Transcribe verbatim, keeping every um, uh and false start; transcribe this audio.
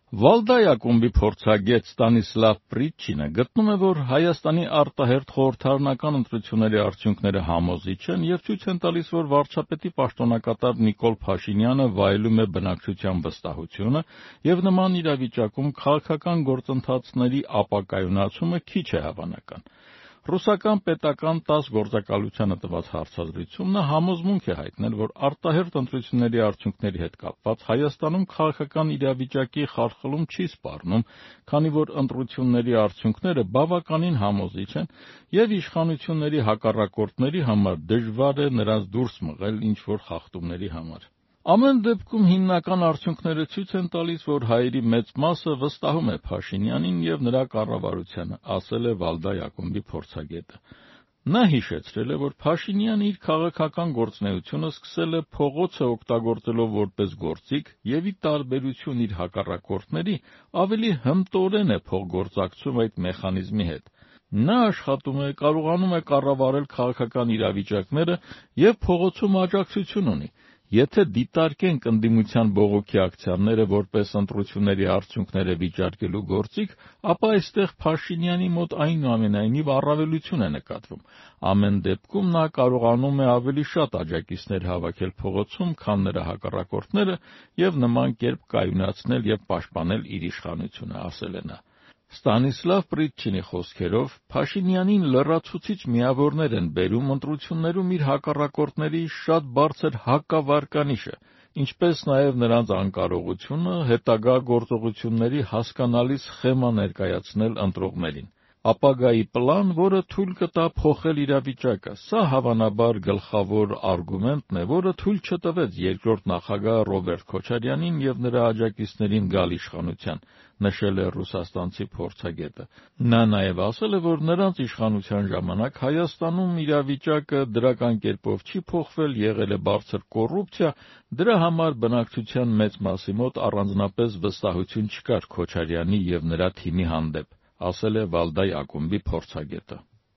Վալդայ ակումբի փորձագետ Ստանիսլավ Պրիտչինը գտնում է, որ Հայաստանի արտահերթ խորհրդարանական ընտրությունների արդյունքները համոզիչ են և ցույց են տալիս, որ վարչապետի պաշտոնակատար Նիկոլ Փաշինյանը վայելում է բնակչության վստահությունը և նման իրավիճակում քաղաքական գործընթացների ապակայունացումը քիչ է հավանական։ Ռուսական պետական տաս գործակալությանը տված հարցազրույցում նա համոզմունք է հայտնել, որ արտահերթ ընտրությունների արդյունքների հետ կապված Հայաստանում քաղաքական իրավիճակի խարխլում չի սպառնում, քանի որ ընտրությունների արդյունքները բավականին համոզիչ են և իշխանությունների հակառակորդների համար դժվար է նրանց դուրս մղել ինչ-որ խախտումների համար։ Ամեն դեպքում հիմնական արդյունքները ցույց են տալիս, որ հայերի մեծ մասը վստահում է Փաշինյանին և նրա կառավարությանը, ասել է Վալդայ ակումբի փորձագետը։ Նա հիշեցրել է, որ Փաշինյանը իր քաղաքական գործունեությունը սկսել է փողոցը օգտագործելով որպես գործիք և ի տարբերություն իր հակառակորդների ավելի հմտորեն է փոխգործակցում այդ մեխանիզմի հետ։ Նա աշխատում է, կարողանում է կառավարել քաղաքական իրավիճակները և փողոցում աջակցություն ունի։ Եթե դիտարկենք ընդդիմության բողոքի ակցիաները որպես ընտրությունների արդյունքները վիճարկելու գործիք, ապա այստեղ Փաշինյանի մոտ այնուամենայնիվ առավելություն է նկատվում։ Ամեն դեպքում նա կարողանում է ավելի շատ աջակիցներ հավաքել փողոցում, քան նրա հակառակորդները և նման կերպ կայունացնել և պաշտպանել իր իշխանությունը, ասել է նա։ Ստանիսլավ Պրիտչինի խոսքերով, Փաշինյանին լրացուցիչ միավորներ են բերում ընտրություններում իր հակառակորդների շատ բարձր հակավարկանիշը, ինչպես նաև նրանց անկարողությունը հետագա գործողությունների հասկանալի սխեմա ներկայացնել ընտրողներին։ Ապագայի պլան, որը թույլ կտա փոխել իրավիճակը։ Սա հավանաբար գլխավոր արգումենտն է, որը թույլ չտվեց երկրորդ նախագահ Ռոբերտ Քոչարյանին և նրա աջակիցներին գալ իշխանության, նշել է ռուսաստանցի փորձագետը։ Նա նաև ասել է, որ նրանց իշխանության ժամանակ Հայաստանում իրավիճակը դրական կերպով չի փոխվել, եղել է բարձր կոռուպցիա, դրա համար բնակչության մեծ մասի մոտ առանձնապես վստահություն չկար Քոչարյանի և նրա թիմի հանդեպ, ասել է Վալդայ ակումբի փորձագետը։